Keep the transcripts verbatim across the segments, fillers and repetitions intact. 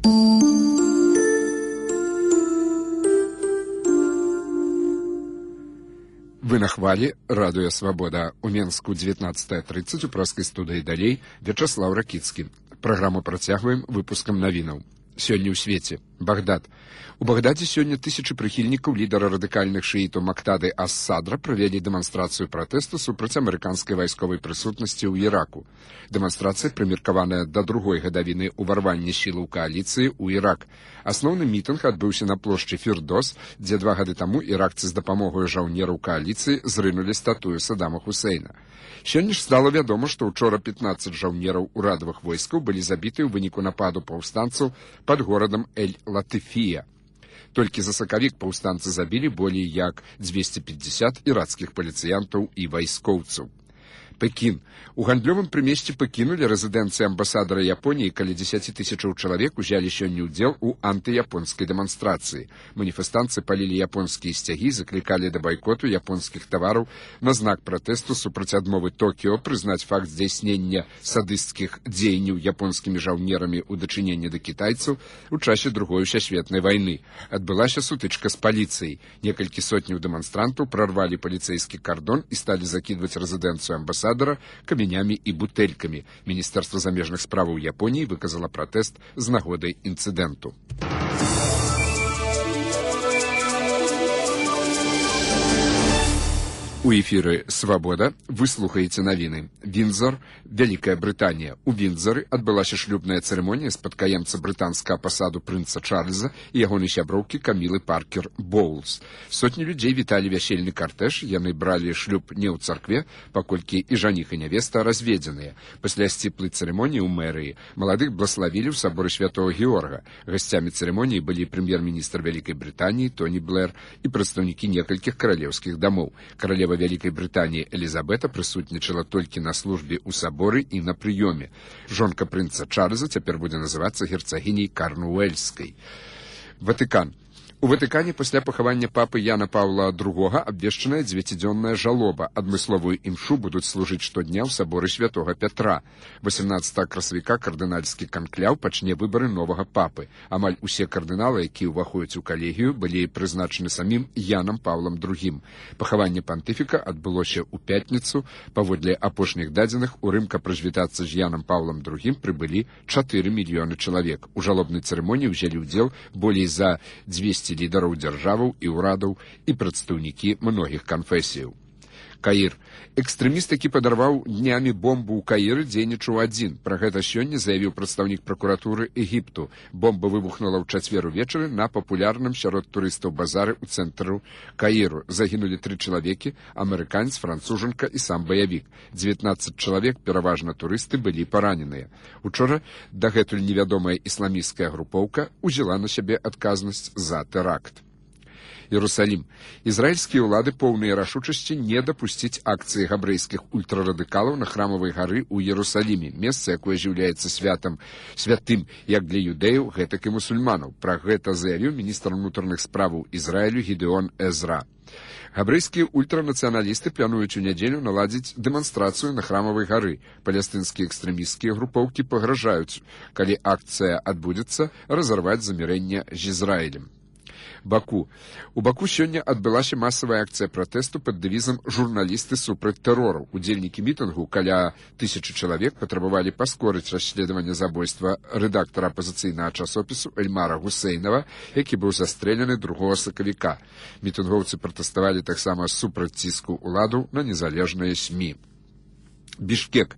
Вы на хвалі, радыё «Свабода». У Менску дзевятнаццатая трыццаць, у праскай студыі далей Вячаслаў Ракіцкі. Праграму працягваем выпускам навінаў. Сёння ў свеце. Багдад. У Багдадзе сёння тысячы прыхільнікаў лідара радыкальных шыітаў Мактады ас-Садра правялі дэманстрацыю пратэсту супраць амерыканскай вайсковай прысутнасці ў Іраку. Дэманстрацыя прымеркаваная да другой гадавіны ўварвання сілаў кааліцыі ў Ірак. Асноўны мітынг адбыўся на плошчы Фірдос, дзе два гады таму іракцы з дапамогай жаўнераў кааліцыі зрынулі статую Саддама Хусейна. Сёння ж стала вядома, што ўчора пятнаццаць жаўнераў урадавых войскаў былі забіты ў выніку нападу паўстанцаў пад горадам Эль-Латыфія. Толькі за сакавік паўстанцы забілі болей як дзвесце пятьдесят ірацкіх паліцыянтаў і вайскоўцаў. Пекін. У гандлёвым прымесці Пекіну ля рэзідэнцыі амбасадара Японіі каля дзесяці тысячаў чалавек узялі сёння ўдзел у антыяпонскай дэманстрацыі. Маніфестанцы палілі японскія сцягі, заклікалі да байкоту японскіх тавараў на знак пратэсту супраць адмовы Токіо прызнаць факт здзяйснення садысцкіх дзеянняў японскімі жаўнерамі ў дачыненні да кітайцаў у часе другой сусветнай вайны. Адбылася сутычка з паліцыяй. Некалькі сотняў дэманстрантаў прарвалі паліцэйскі кардон і сталі закідваць рэзідэнцыю амбасадара камянямі і бутэлькамі. Міністэрства замежных справаў Японіі выказала пратэст з нагодай інцыдэнту. У эфіры «Свабода» вы слухаеце навіны. Віндзор, Вялікая Брытанія. У Віндзоры адбылася шлюбная цырымонія спадкаемца брытанскага пасаду прынца Чарльза і ягонай сяброўкі Камілы Паркер Боулс. Сотні людзей віталі вясельны картэж, яны бралі шлюб не ў царкве, паколькі і жаніх і нявеста разведзеныя. Пасля сціплай цырымоніі ў мэрыі маладых блаславілі ў саборы святого Георга. Гасцямі цырымоніі былі прэм'ер-міністр Вялікай Брытаніі Тоні Блэр і прадстаўнікі некалькіх каралеўскіх дамоў. Каралева Вялікай Брытаніі Элізабета прысутнічала толькі на службе ў саборы і на прыёме. Жонка прынца Чарльза цяпер будзе называцца герцагіняй Карнуэльскай. Ватыкан. У Ватыкане пасля пахавання папы Яна Паўла другога абвешчаная дзевяцідзённая жалоба. Адмысловую імшу будуць служыць штодня ў саборы святога Пятра. восемнаццатага красавіка кардынальскі канкляў пачне выбары новага папы. Амаль усе кардыналы, якія ўваходзяць у калегію, былі прызначаны самім Янам Паўлам другім. Пахаванне пантыфіка адбылося ў пятніцу. Паводле апошніх дадзеных, у Рым, каб развітацца з Янам Паўлам другім, прыбылі чатыры мільёны чалавек. У жалобнай цырымоніі ўзялі ўдзел болей за дзвесце лідараў дзяржаваў і ўрадаў і прадстаўнікі многіх канфесіяў. Каір. Экстрэміст, які падарваў днямі бомбу ў Каіры, дзейнічаў адзін. Пра гэта сёння заявіў прадстаўнік пракуратуры Егіпту. Бомба выбухнула ў чацвер увечары на папулярным сярод турыстаў базары ў цэнтру Каіру. Загінулі тры чалавекі, амерыканец, францужанка і сам баявік. дзевятнаццаць чалавек, пераважна турысты, былі параненыя. Учора дагэтуль невядомая ісламісцкая групоўка узяла на сябе адказнасць за тэракт. Иерусалим. Израильские улады поўныя рашучасці не дапусціць акцыі габрэйскіх ультрарадыкалаў на храмавай гары ў Иерусалиме, месца, якое з'яўляецца святам, святым як для юдэяў, гэтак і мусульманаў. Пра гэта заявіў міністр унутраных справаў Ізраілю Гідеон Эзра. Габрэйскія ультранацыяналісты плануюць у нядзелю наладзіць дэманстрацыю на храмавай гары. Палестынскія экстрэмісцкія групоўкі пагражаюць, калі акцыя адбудзецца, разарваць замірэнне з Ізраілем. Баку. У Баку сёння адбылася масавая акцыя пратэсту пад дэвізам «Журналісты супраць тэрору». Удзельнікі мітынгу, каля тысячы чалавек, патрабавалі паскорыць расследаванне забойства рэдактара апазіцыйнага часопісу Эльмара Гусейнава, які быў застрэлены другога сакавіка. Мітынгоўцы пратэставалі таксама супраць ціску ўладаў на незалежныя СМІ. Бішкек.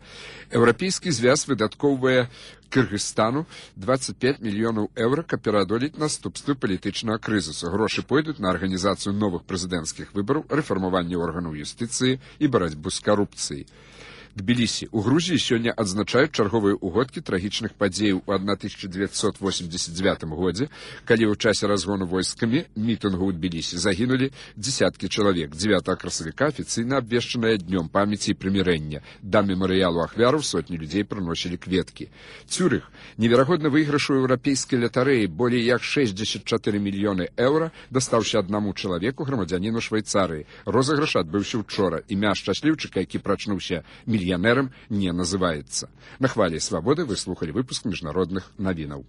Еўрапейскі звяз выдаткоўвае Кыргызстану двадцать пять мільёнаў еўра, каб пераадолець наступствы палітычнага крызісу. Грошы пойдуць на арганізацыю новых прэзідэнцкіх выбараў, рэфармаванне органаў юстыцыі і барацьбу з карупцыяй. Тбілісі. У Грузіі сёння адзначаюць чарговыя ўгодкі трагічных падзеяў у тысяча дзевяцьсот восемьдесят девятым годзе, калі ў часе разгону войскамі мітынгу ў Тбілісі загінулі дзесяткі чалавек. дзевятага красавіка афіцыйна абвешчаная днём памяці і прымірэння. Да мемарыялу ахвяраў сотні людзей прыносілі кветкі. Цюрых. Неверагодны выйгрыш у еўрапейскай латарэі болей як шэсцьдзесят чатыры мільёны еўра дастаўся аднаму чалавеку, грамадзяніну Швейцарыі. Розыгрыш адбыўся учора. Імя шчасліўчыка, які прачнуўся мільянерам, не называецца. На хвалі «Свабоды» вы слухалі выпуск міжнародных навінаў.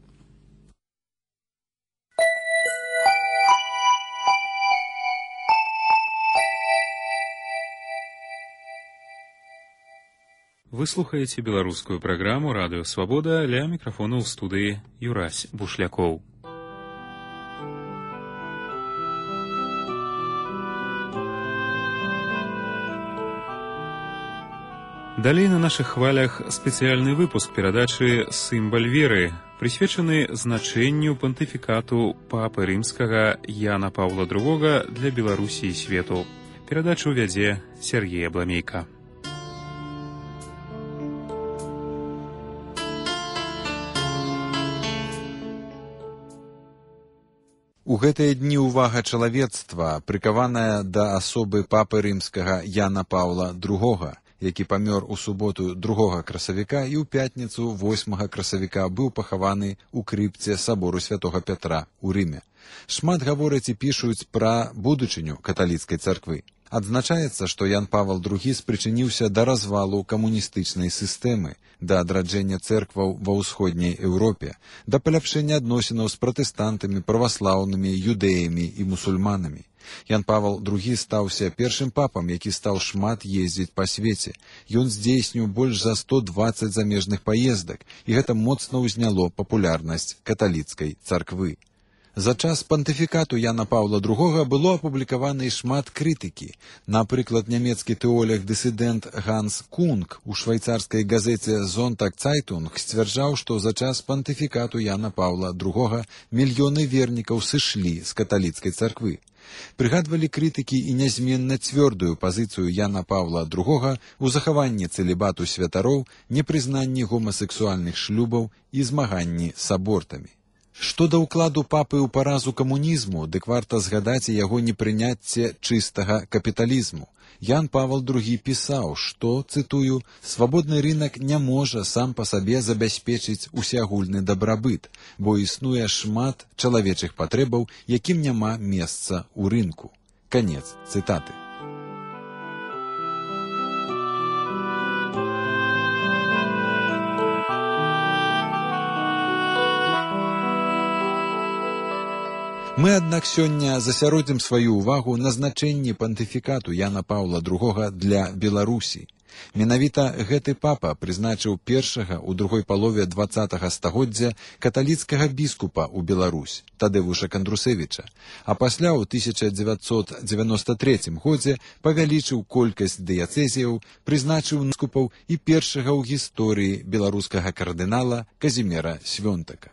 Вы слухаеце беларускую праграму «Радыё Свабода», ля мікрафона ў студыі Юрась Бушлякоў. Далей на нашых хвалях спецыяльны выпуск перадачы «Сімбаль веры», прысвечаны значэнню пантыфікату папы рымскага Яна Паўла другога для Беларусі і свету. Перадачу вядзе Сергей Абламейка. У гэтыя дні ўвага чалавецтва прыкаваная да асобы папы рымскага Яна Паўла другога, які памёр у суботу другога красавіка і ў пятніцу восьмага красавіка быў пахаваны ў крыпце сабору святога Пятра ў Рыме. Шмат гавораць і пішуць пра будучыню каталіцкай царквы. Адзначаецца, што Ян Павел другі спрычыніўся да развалу камуністычнай сістэмы, да адраджэння цэркваў ва ўсходняй Еўропе, да паляпшэння адносінаў з пратэстантамі, праваслаўнымі, юдэямі і мусульманамі. Ян Павел другі стаўся першым папам, які стаў шмат ездзіць па свеце. Ён здзейсніў больш за сто дваццаць замежных паездак, і гэта моцна ўзняло папулярнасць каталіцкай царквы. За час пантыфікату Яна Паўла другога было апублікавана і шмат крытыкі. Напрыклад, нямецкі тэолог-дысідэнт Ганс Кунг у швайцарскай газеце «Зонтаг Цайтунг» сцвярджаў, што за час пантыфікату Яна Паўла другога мільёны вернікаў сышлі з каталіцкай царквы. Прыгадвалі крытыкі і нязменна цвёрдую пазіцыю Яна Паўла другога ў захаванні цэлібату святароў, непрызнанні гомасексуальных шлюбаў і змаганні з абортамі. Што да ўкладу папы ў паразу камунізму, дык варта згадаць і яго непрыняцце чыстага капіталізму. Ян Павел другі пісаў, што, цытую, «свабодны рынак не можа сам па сабе забяспечыць усеагульны дабрабыт, бо існуе шмат чалавечых патрэбаў, якім няма месца ў рынку». Канец цытаты. Мы, аднак, сёння засяродзім сваю ўвагу на значэнні пантыфікату Яна Паўла другога для Беларусі. Менавіта гэты папа прызначыў першага ў другой палове дваццатага стагоддзя каталіцкага біскупа ў Беларусь, Тадеўуша Кандрусевіча, а пасля ў тысяча дзевяцьсот дзевяноста трэцім годзе павялічыў колькасць дыяцэзіяў, прызначыў біскупаў і першага ў гісторыі беларускага кардынала Казімера Свёнтака.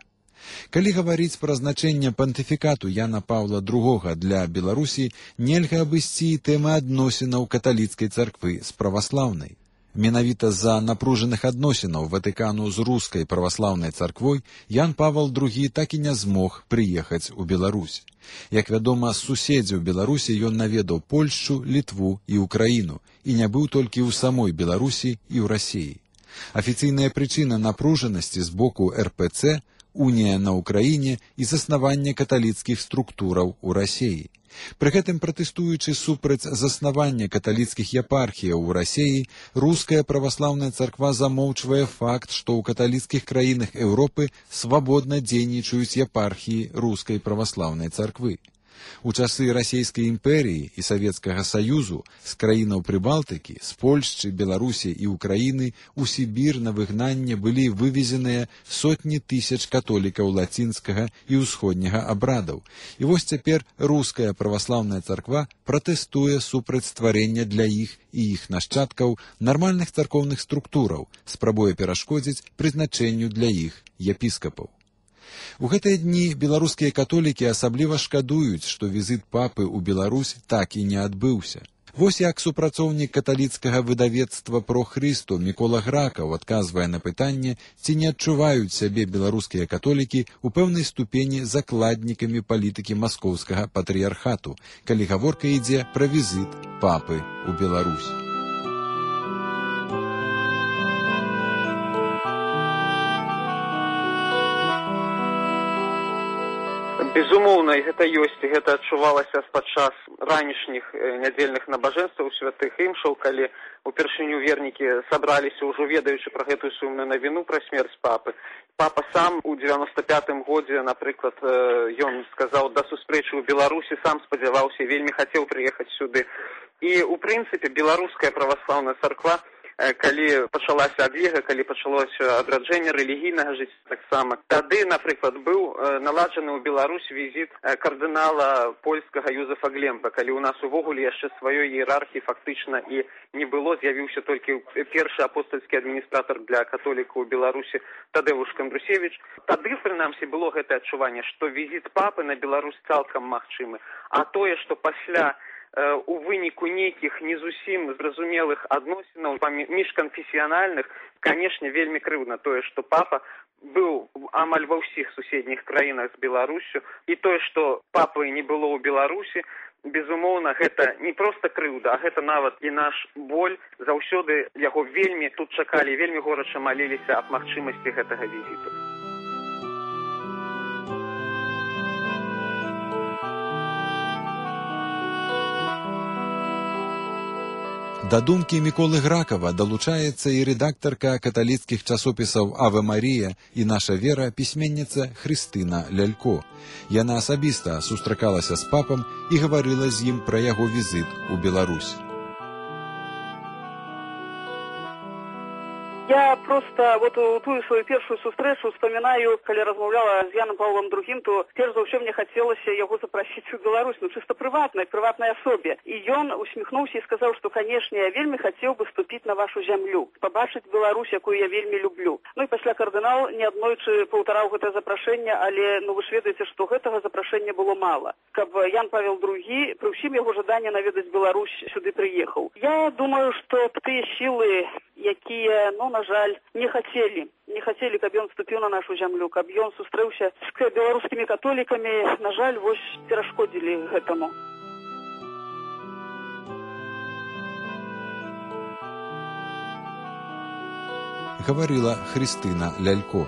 Калі гаварыць пра значэнне пантыфікату Яна Паўла другога для Беларусі, нельга абысці і тэмы адносінаў каталіцкай царквы з праваслаўнай. Менавіта з-за напружаных адносінаў Ватыкану з рускай праваслаўнай царквой Ян Павел другі так і не змог прыехаць у Беларусь. Як вядома, з суседзяў Беларусі ён наведаў Польшчу, Літву і Украіну, і не быў толькі ў самой Беларусі і ў Расіі. Афіцыйная прычына напружанасці з боку эр пэ цэ – унія на Украіне і заснаванне каталіцкіх структураў у Расіі. Пры гэтым пратэстуючы супраць заснавання каталіцкіх епархіяў у Расіі, руская праваслаўная царква замоўчвае факт, што ў каталіцкіх краінах Еўропы свабодна дзейнічаюць епархіі рускай праваслаўнай царквы. У часы Расійскай імперіі і Савецкага Саюзу з краінаў Прыбалтыкі, з Польшчы, Беларусі і Украіны у Сібір на выгнанне былі вывезеныя сотні тысяч католікаў лацінскага і ўсходняга абрадаў. І вось цяпер руская праваслаўная царква пратэстуе супраць стварення для іх і іх нашчадкаў нармальных царкоўных структураў, спрабуе перашкодзіць прызначэнню для іх епіскапаў. У гэтыя дні беларускія католікі асабліва шкадуюць, што візіт папы ў Беларусь так і не адбыўся. Вось як супрацоўнік каталіцкага выдавецтва «Про Христу» Мікола Гракаў адказвае на пытанне, ці не адчуваюць сябе беларускія католікі ў пэўнай ступені закладнікамі палітыкі маскоўскага патрыярхату, калі гаворка ідзе пра візіт папы ў Беларусь. Безумоўна, і гэта ёсць, і гэта адчувалася падчас ранішніх нядзельных набажэнстваў святых імшаў, калі упершыню вернікі сабраліся, ўжо ведаючы пра гэтую сумную навіну пра смерць папы. Папа сам у дзевяноста пятым годзе, напрыклад, ён сказаў да сустрэчы ў Беларусі, сам спадзяваўся, вельмі хацеў прыехаць сюды. І, у прынцыпе, беларуская праваслаўная царква калі пачалася адвега, калі пачалося адраджэнне рэлігійнага жыцця таксама. Тады, напрыклад, быў наладжаны ў Беларусь візіт кардынала польскага Юзефа Глемпа, калі ў нас увогуле яшчэ сваёй іерархіі фактычна і не было, з'явіўся толькі першы апостольскі адміністратар для католікаў у Беларусі Тадэвуш Кандрусевіч. Тады, прынамсі, было гэтае адчуванне, што візіт папы на Беларусь цалкам магчымы, а тое, што пасля у выніку нейкіх не зусім зразумелых адносінаў міжканфесіянальных, канешне, вельмі крыўдна тое, што папа быў амаль ва ўсіх суседніх краінах з Беларусю, і тое, што папы не было ў Беларусі, безумоўна, гэта не проста крыўда, а гэта нават і наш боль. Заўсёды яго вельмі тут чакалі, вельмі горача маліліся аб магчымасці гэтага візіту. Да думкі Міколы Гракава далучаецца і рэдактарка каталіцкіх часопісаў «Аве Марія» і «Наша вера» пісьменніца Хрыстына Лялько. Яна асабіста сустракалася з папам і гаварыла з ім пра яго візіт у Беларусь. Я просто вот ту свою першую сустрэчу вспоминаю, калі размаўляла з Яном Павлом другім, то перш за ўсё мне хацелася яго запрасіць у Беларусь, ну чыста прыватнай, прыватнай асобе. І ён усміхнуўся і сказаў, што, канешне, я вельмі хацеў бы ступіць на вашу зямлю, пабачыць Беларусь, якую я вельмі люблю. Ну і пасля кардынал неаднойчы паўтараў гэтае запрашэнне, але ну вы ж ведаеце, што гэтага запрашэння было мала. Каб Ян Павел другі пры ўсім яго жаданні наведаць Беларусь сюды прыехаў. Я думаю, што тыя сілы, якія, ну, на жаль, не хацелі, не хацелі, каб ён вступіў на нашу зямлю, каб ён сустрэўся з беларускімі католікамі, на жаль, вось перашкодзілі гэтаму. Гаварыла Хрыстына Лялько.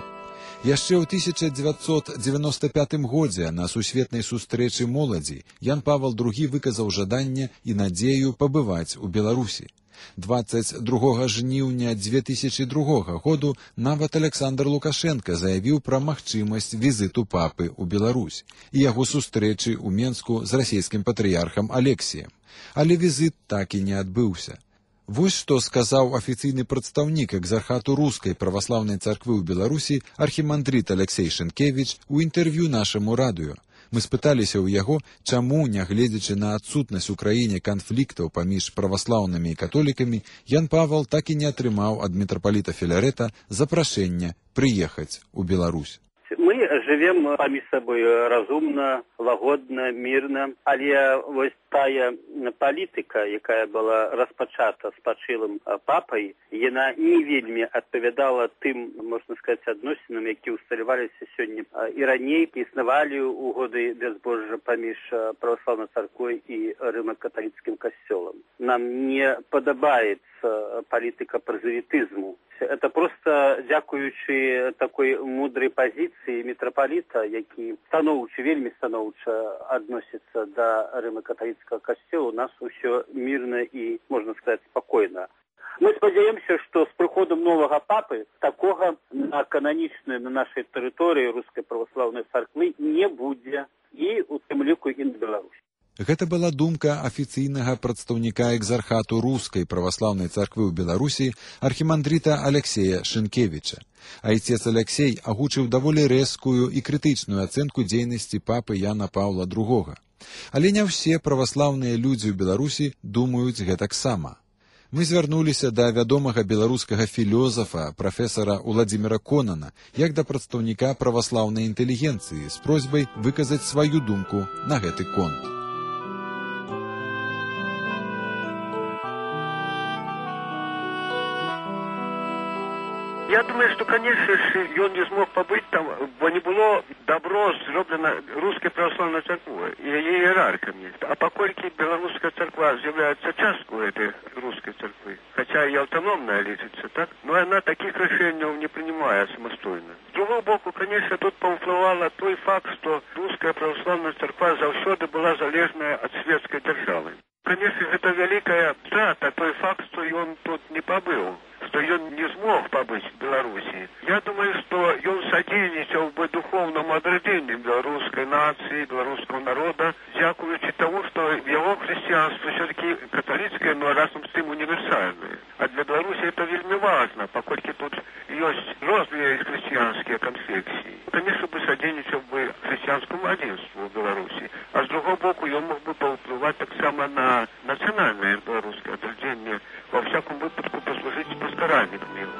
Яшчэ ў тысяча дзевяцьсот дзевяноста пятым годзе на сусветнай сустрэчы моладзі Ян Павел другі выказаў жаданне і надзею пабываць у Беларусі. дваццаць другога жніўня дзве тысячы другога году нават Александр Лукашенко заявіў пра магчымасць візіту папы ў Беларусь і яго сустрэчы ў Менску з расійскім патрыярхам Алексіем. Але візіт так і не адбыўся. Вось што сказаў афіцыйны прадстаўнік экзархату рускай праваслаўнай царквы ў Беларусі архімандрыт Алексей Шынкевіч у інтэрв'ю нашаму радыё. Мы спыталіся ў яго, чаму, нягледзячы на адсутнасць у краіне канфліктаў паміж праваслаўнымі і католікамі, Ян Павел так і не атрымаў ад мітрапаліта Філарета запрашэння прыехаць у Беларусь. Мы живем паміж сабой разумна, лагодна, мірна, але вось тая палітыка, якая была распачата спачылым папай, яна не вельмі адпавядала тым, можна сказаць, адносінам, які ўсталяваліся сёння і раней, існавалі ў годы бязбожжа паміж праваслаўнай царквой і рыма-каталіцкім касцёлам. Нам не падабаецца палітыка празелітызму. Это просто дзякуючы такой мудрай пазіцыі мітрапаліта, які станоўча, вельмі станоўча адносіцца да рыма-каталіцкага касцёла, у нас усё мірна і, можна сказаць, спакойна. Мы спадзяёмся, што з прыходам новага папы такога на кананічнай, на нашай тэрыторыі рускай праваслаўнай царквы не будзе, і у тым ліку і на Беларусі. Гэта была думка афіцыйнага прадстаўніка экзархату рускай праваслаўнай царквы ў Беларусі архімандрыта Алексея Шынкевіча. Айцец Алексей агучыў даволі рэзкую і крытычную ацэнку дзейнасці папы Яна Паўла другога. Але не ўсе праваслаўныя людзі ў Беларусі думаюць гэтаксама. Мы звярнуліся да вядомага беларускага філёзафа, прафесара Уладзіміра Конана, як да прадстаўніка праваслаўнай інтэлігенцыі з просьбай выказаць сваю думку на гэты конт. Я думаю, что, конечно, он не смог побыть там, бо не было добро зроблено русской православной церквой и ее иерархами. А покольки белорусская церква является частью этой русской церкви, хотя и автономная лечится, так, но она таких решений не принимает самостоятельно. С другого боку, конечно, тут повпливало той факт, что русская православная церква завсёды была залежная от светской державы. Конечно, это великая страта, той факт, что он тут не побыл. С что он не смог побыть в Беларуси. Я думаю, что он содействовал бы духовному отродению белорусской нации, белорусского народа, дякуючи тому, что его христианство все-таки католическое, но разом с тем универсальное. А для Беларуси это вельми важно, поскольку тут есть разные христианские конфессии. Конечно, бы содействовал бы христианскому единству в Беларуси. А с другого боку, он мог бы повпливать так само на национальное белорусское отродение, во всяком выпадку послужить паскаральником его.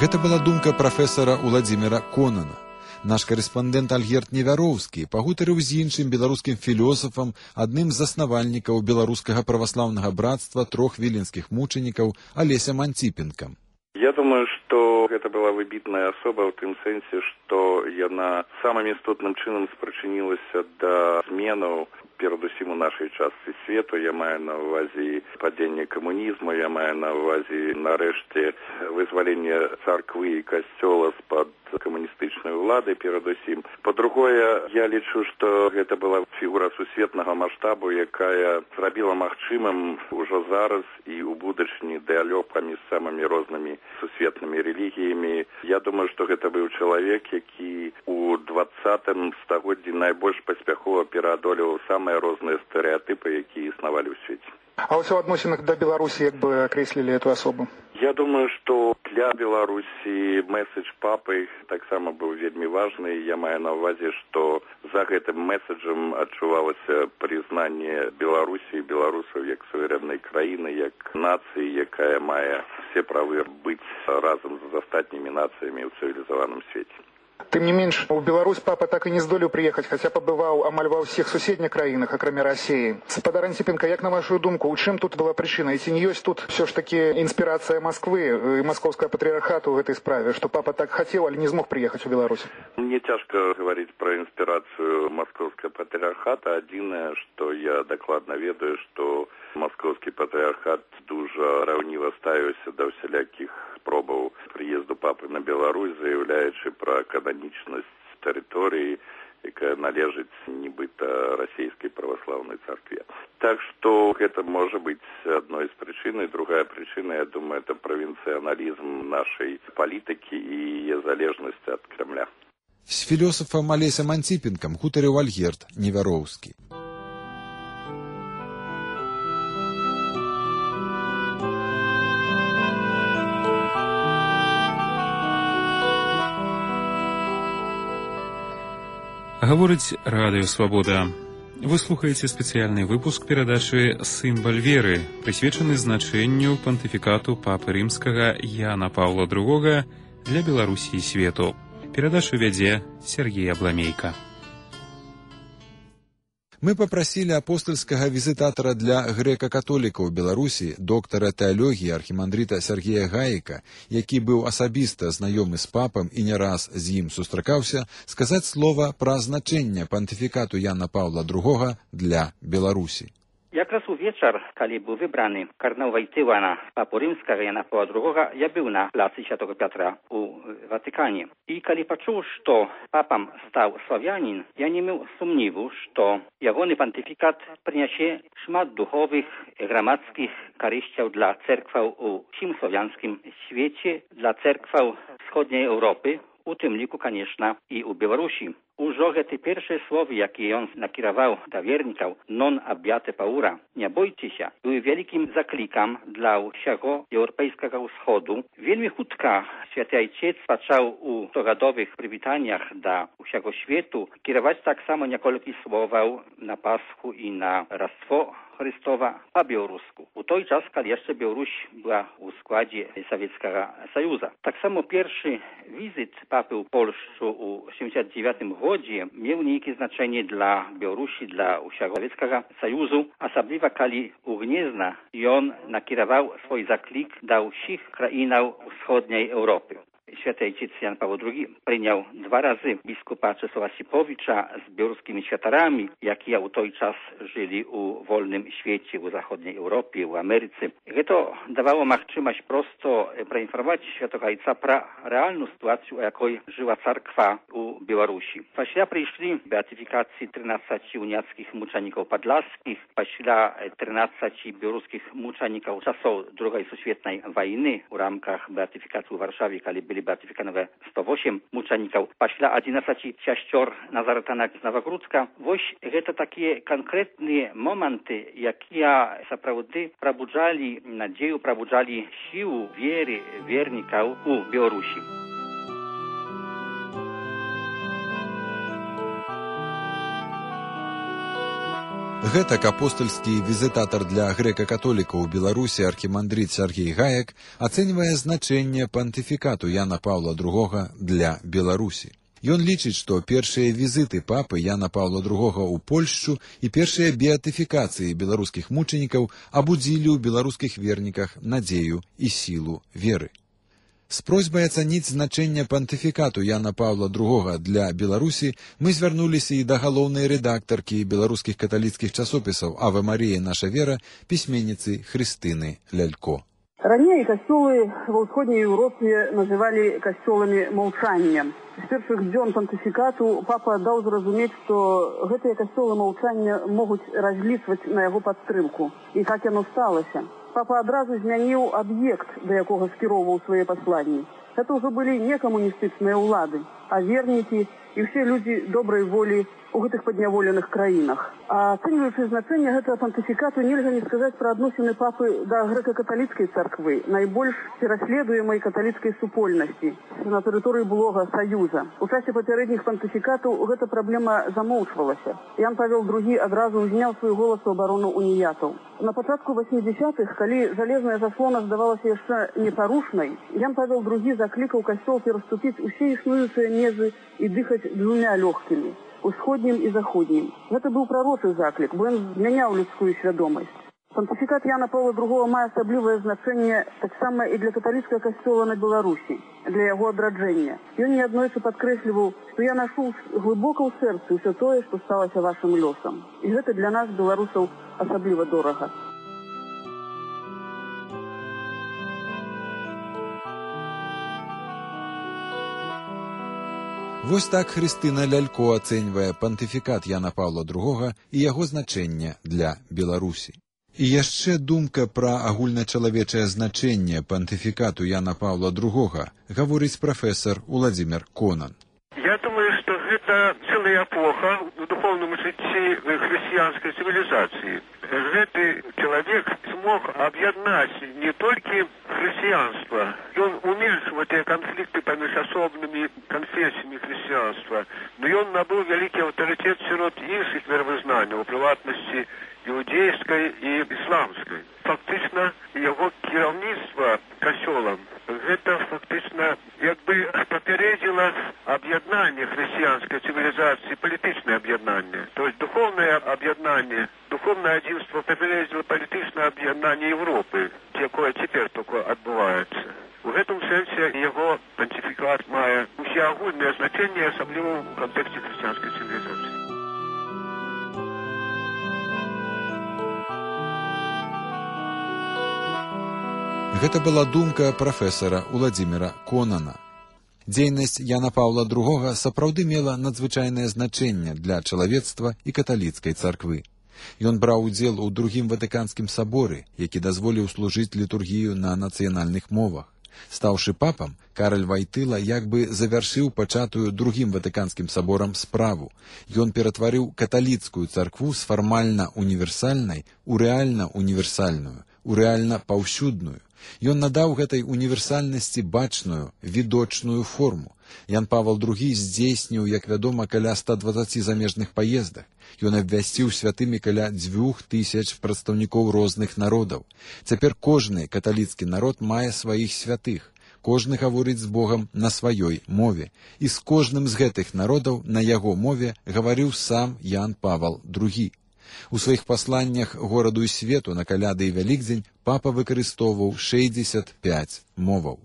Гэта была думка прафесара Уладзіміра Конана. Наш карэспандэнт Альгерд Невяроўскі пагутарыў з іншым беларускім філосафам, адным з заснавальнікаў беларускага праваслаўнага братства трох віленскіх мучанікаў Алесем Анціпенкам. Я думаю, что это была выбітная особа в тым сэнсе, што яна самым істотным чынам спрычынілася да зменаў перадусім у нашай частцы свету. Я маю на ўвазе падзенне камунізму, я маю на ўвазе нарэшце вызваленне царквы і касцёла з-пад камуністычнай улады перадусім. Па-другое, я лічу, што гэта была фігура сусветнага маштабу, якая зрабіла магчымым ужо зараз і ў будучыні дыалог паміж самымі рознымі сусветнымі рэлігіямі. Я думаю, што гэта быў чалавек, які у двадцатым стагоддзі найбольш паспяхова пераадолеваў самыя розныя стэрэатыпы, якія існавалі ў свеце. А вось у адносінах да Беларусі як бы акрэслілі эту асобу? Я думаю, што для Беларусі месседж папы таксама быў вельмі важны. Я маю на ўвазе, што за гэтым месседжам адчувалася прызнанне Беларусі і беларусаў як суверэннай краіны, як нацыі, якая мае все правы быць разам з астатнімі нацыямі ў цывілізаваным свеце. Тым не менш, у Беларусь папа так і не здолеў прыехаць, хаця пабываў амаль ва ўсіх суседніх краінах, акрамя Расіі. Спадар Анціпенка, як на вашу думку, у чым тут была прычына? І ці не ёсць тут все ж таки інспірацыя Масквы і маскоўскага патрыархату ў гэтай справе, што папа так хацеў, але не змог прыехаць у Беларусь? Мне цяжка гаварыць пра інспірацыю маскоўскага патрыархата. Адзінае, што я дакладна ведаю, што маскоўскі патрыархат дужа раўніва ставіўся да ўсялякіх спробаў прыезду папы на Беларусь, заяўляючы пра кананічнасць тэрыторыі, якая належыць нібыта расійскай праваслаўнай царкве. Так што гэта можа быць адной з прычын. Другая прычына, я думаю, это правінцыяналізм нашай палітыкі і яе залежнасць ад Кремля. З філосафам Алесем Анціпенкам гутарыў Альгерд Невяроўскі. Гаворыць Радыё Свабода. Вы слухаеце спецыяльны выпуск перадачы «Сімбаль веры», прысвечаны значэнню пантыфікату папы рымскага Яна Паўла другога для Беларусі і свету. Перадачу вядзе Сергей Абламейка. Мы папрасілі апостальскага візітатара для грэка-католікаў Беларусі, доктара тэалогіі архімандрыта Сергея Гаіка, які быў асабіста знаёмы з папам і не раз з ім сустракаўся, сказаць слова пра значэнне пантыфікату Яна Паўла другога для Беларусі. Якраз увечар, калі быў выбраны кардынал Войтыла на папу рымскага Яна Паўла другога, я быў на плацы Святого Пятра у Ватыкане. І калі пачуў, што папам стаў славянін, я не меў сумніву, што ягоны пантыфікат прынясе шмат духовых і грамадскіх карысцяў для церкваў у ўсім славянскім свеце, для церкваў сходняй Еўропы, у тым ліку, канешна, і ў Беларусі. Ужо гэты першыя словы, якія ён накіраваў да вернікаў «Non abbiate paura», «Не бойцеся», быў вялікім заклікам для ўсяго еўрапейскага ўсходу. Вельмі хутка Святы Айцец пачаў у стогадовых прывітаннях да ўсяго свету кіраваць таксама некалькі словаў на Пасху і на Раство Христова па-беларуску. У той час, калі яшчэ Беларусь была ў складзе Савецкага Саюза. Таксама першы візит папы ў Польшчу ў сямдзесят дзевятым годзе меў нейкае значэнне для Беларусі, для ўсяго Савецкага Саюзу, асабліва калі у Гнезна ён накіраваў свой заклік да ўсіх краінаў усходняй Еўропы. Święty Ojciec Jan Paweł drugi przyjął dwa razy biskupa Czesława Sipowicza z białoruskimi światarami, jakie u tej czas żyli u wolnym świecie, u zachodniej Europie, u Ameryce. To dawało możliwość prosto poinformować Świętego Ojca pro realną sytuację, o jakiej żyła cerkwa u Białorusi. После przyszli beatyfikacji trzynastu uniackich muczeników podlaskich, после trzynastu białoruskich muczeników czasów drugiej światowej wojny w ramach beatyfikacji w Warszawie, kiedy byli beatyfikowane sto osiem muczeników, после jedenastu sióstr Nazaretanach z Nowogródzka. Właśnie to takie konkretne momenty, jakie naprawdę probudzali nadzieję, probudzali siłę wiery wierników u Białorusi. Гэтак апостальскі візітатар для грэка-католікаў у Беларусі архімандрыт Сергей Гаек ацэньвае значэнне пантыфікату Яна Паўла другога для Беларусі. Ён лічыць, што першыя візіты папы Яна Паўла другога ў Польшчу і першыя беатыфікацыі беларускіх мучанікаў абудзілі ў беларускіх верніках надзею і сілу веры. З просьбай ацаніць значэнне пантыфікату Яна Паўла другога для Беларусі мы звярнуліся і да галоўнай рэдактаркі беларускіх каталіцкіх часопісаў «Аве Марія, наша вера», пісьменніцы Хрыстыны Лялько. Ранее костелы во Ўсходняй Европе называли костелами молчания. С первых дзён пантыфикату папа дал зразумець, что гэтыя костелы молчания могут различивать на его подстрымку. И как оно сталося. Папа адразу змяніў аб'ект, да якога скіроўваў свае пасланні. Это ўжо былі не камуністычныя ўлады, а вернікі і ўсе людзі добрай волі у гэтых падняволеных краінах. А ацэньваючы значэнне гэтага пантыфікату, нельга не сказаць пра адносіны папы да грэка-каталіцкай царквы, найбольш пераследуемай каталіцкай супольнасці на тэрыторыі былога Саюза. У часе папярэдніх пантыфікатаў гэта праблема замоўчвалася. Ян Павел другі адразу ўзняў свой голас у абарону уніятаў. На пачатку васьмідзесятых, калі жалезная заслона здавалася яшчэ непарушнай, Ян Павел другі заклікаў касцёл пераступіць усе існуючыя межы і дыхаць двумя лёгкімі – усходнім і заходнім. Гэта быў прарочы заклік, бо ён змяняў людскую свядомасць. Пантыфікат Яна Паўла другога мае асаблівае значэнне таксама і для каталіцкага касцёла на Беларусі, для яго адраджэння. Ён неаднойчы падкрэсліваў, што я нашу глыбока ў сэрцы ўсё тое, што сталася вашым лёсам. І гэта для нас, беларусаў, асабліва дорага. Вось так Хрыстына Лялько ацэньвае пантыфікат Яна Паўла другога і яго значэнне для Беларусі. І яшчэ думка пра агульначалавечае значэнне пантыфікату Яна Паўла другога гаворыць прафесар Уладзімір Конан. Я думаю, что это целая эпоха в духовном житии христианской цивилизации. Этот человек смог объединять не только христианство, он уменьшил эти конфликты поміж особными конфессиями христианства, но он набыл великий авторитет среди інших веровознаний, в приватности иудейской и исламской. Фактично, его керівництво костелом, это фактично якби попередило объединение христианской цивилизации, политичное объединение. То есть духовное объединение, духовное единство попередило политичное объединение Европы, якое теперь только отбывается. В этом сенсе его понтификат має усеагульне значение, особливо в контексте христианской цивилизации. Гэта была думка прафесара Уладзіміра Конана. Дзейнасць Яна Паўла другога сапраўды мела надзвычайнае значэнне для чалавецтва і каталіцкай царквы. Ён браў удзел у другім ватыканскім саборы, які дазволіў служыць літургію на нацыянальных мовах. Стаўшы папам, Караль Вайтыла як бы завяршыў пачатую другім ватыканскім саборам справу. Ён ператварыў каталіцкую царкву з фармальна універсальнай у рэальна універсальную, у рэальна паўсюдную. Ён надаў гэтай універсальнасці бачную, відочную форму. Ян Павел другі здзейсніў, як вядома, каля ста дваццаці замежных паездак. Ён абвясціў святымі каля дзвюх тысяч прадстаўнікоў розных народаў. Цяпер кожны каталіцкі народ мае сваіх святых. Кожны гаворыць з Богам на сваёй мове. І з кожным з гэтых народаў на яго мове гаварыў сам Ян Павел другі. У сваіх пасланнях гораду і свету на каляды і вялікдзень папа выкарыстоўваў шэсцьдзесят пяць моваў.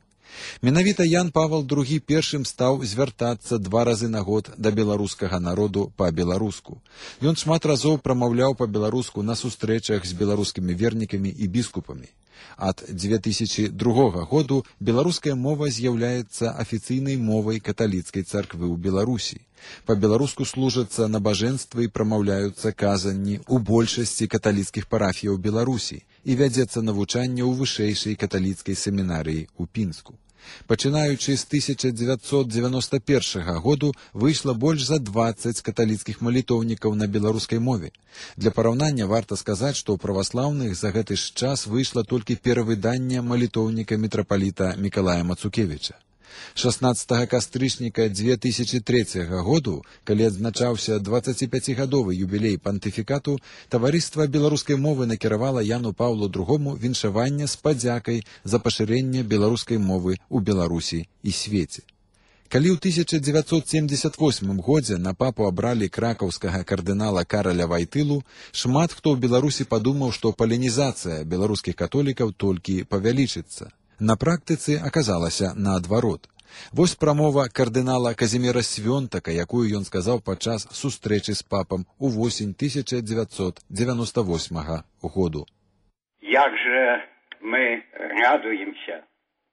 Менавіта Ян Павел другі першым стаў звяртацца два разы на год да беларускага народу па-беларуску. Ён шмат разоў прамаўляў па-беларуску на сустрэчах з беларускімі вернікамі і біскупамі. Ад дзве тысячы другога году беларуская мова з'яўляецца афіцыйнай мовай каталіцкай царквы ў Беларусі. Па-беларуску служацца набажэнствы і прамаўляюцца казанні ў большасці каталіцкіх парафіяў Беларусі і вядзецца навучанне ў вышэйшай каталіцкай семінарыі ў Пінску. Пачынаючы з тысяча дзевяцьсот дзевяноста першага году выйшла больш за дваццаць каталіцкіх малітоўнікаў на беларускай мове. Для параўнання варта сказаць, што ў праваслаўных за гэты ж час выйшла толькі перавыданне малітоўніка мітрапаліта Мікалая Мацукевіча. шаснаццатага кастрычніка дзве тысячы трэцяга году, калі адзначаўся дваццаціпяцігадовы юбілей пантыфікату, таварыства беларускай мовы накіравала Яну Паўлу другому віншаванне з падзякай за пашырэнне беларускай мовы ў Беларусі і свеце. Калі ў тысяча дзевяцьсот семдзесят восьмым годзе на папу абралі кракаўскага кардынала Караля Вайтылу, шмат хто ў Беларусі падумаў, што палінізацыя беларускіх католікаў толькі павялічыцца. На практыцы аказалася наадварот. Вось прамова кардынала Казіміра Свёнтака, якую ён сказаў падчас сустрэчы з папам у восень тысяча дзевяцьсот девяносто восьмага году. Як же мы радуемся,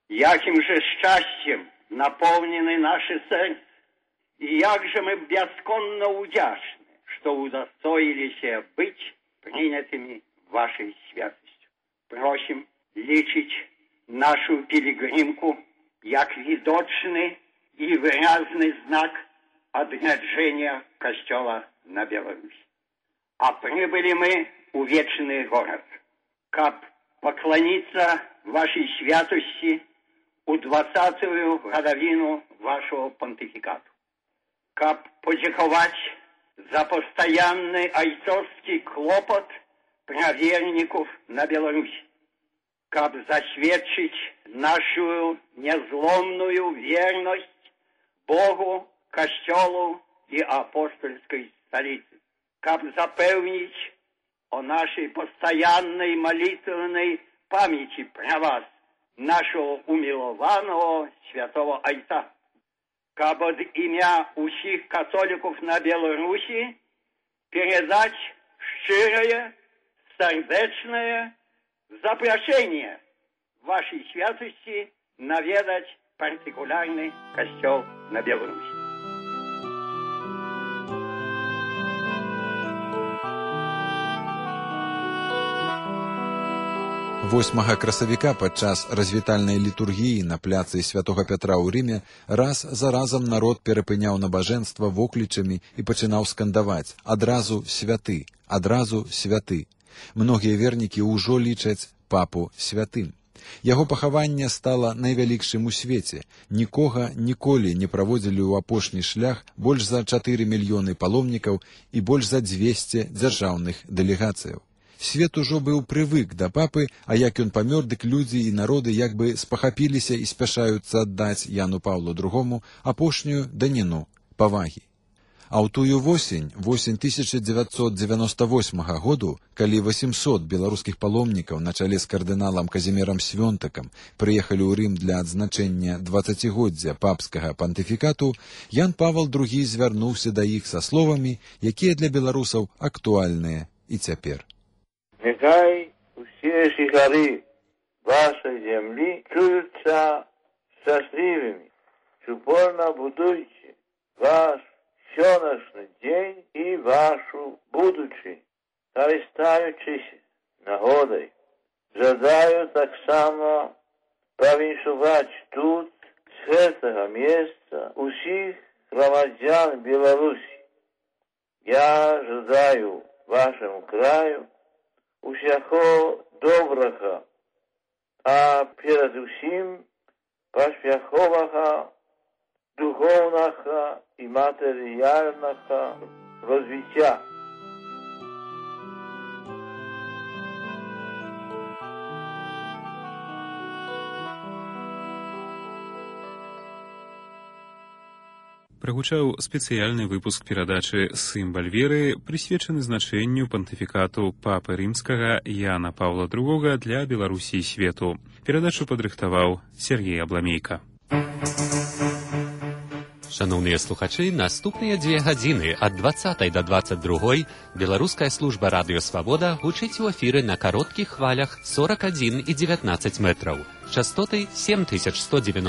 яким же счастьем наполнены наши сердца, и як же мы бесконно удячны, что удостоились быть принятыми вашей святостью. Просим лечить нашу пилигримку, як видочный и выразный знак отряджения Костела на Беларусь. А прибыли мы у вечный город, каб поклониться вашей святости у двадцатую годовину вашего понтификату, каб подяковать за постоянный айцовский клопот праведников на Беларусь, каб засведчить нашу незломную верность Богу, Костелу и апостольской столице, каб запевнить о нашей постоянной молитвенной памяти про вас, нашего умилованного святого Отца, каб от имя усих католиков на Беларуси передать щирое, сердечное запрошение вашей святости наведать партикулярный костел на Беларуси. восьмага красавіка падчас развітальнай літургіі на пляцы святога Пятра ў Рыме раз за разам народ перапыняў набажэнства воклічамі і пачынаў скандаваць: адразу святы, адразу святы. Многія вернікі ўжо лічаць папу святым. Яго пахаванне стала найвялікшым у свеце. Нікога ніколі не праводзілі ў апошні шлях больш за чатыры мільёны паломнікаў і больш за дзвесце дзяржаўных дэлегацыяў. Свет ужо быў прывык да папы, а як ён памёр, дык людзі і народы як бы спахапіліся і спяшаюцца аддаць Яну Паўлу другому апошнюю даніну павагі. А ў тую восень, восень тысяча дзевяцьсот девяносто восьмага году, калі восемьсот беларускіх паломнікаў на чале з кардыналам Казімірам Свёнтакам прыехалі ў Рым для адзначэння дваццацігоддзя папскага пантыфікату, Ян Павел другі звярнуўся да іх са словамі, якія для беларусаў актуальныя і цяпер. Нехай усе жыхары вашай зямлі чуюцца шчаслівымі, упорна будуйце ваш сённяшні дзень і вашу будучыню, карыстаючыся нагодай. Жадаю таксама павіншаваць тут, з гэтага месца, усіх грамадзян Беларусі. Я жадаю вашаму краю усяго добрага, а перад усім паспяховага духоўнага і матэрыяльнага развіцця. прагучаў спецыяльны выпуск перадачы «Сымбаль веры», прысвечаны значэнню пантыфікату папы рымскага Яна Паўла другога для Беларусі і свету. Перадачу падрыхтаваў Сергей Абламейка. Шановныя слухачы, наступныя дзве гадзіны ад дваццатай да дваццаць другой беларуская служба радыё Свабода гучыць у эфіры на кароткіх хвалях сорок адзін і дзевятнаццаць метраў, частоты сем тысяч сто девяносто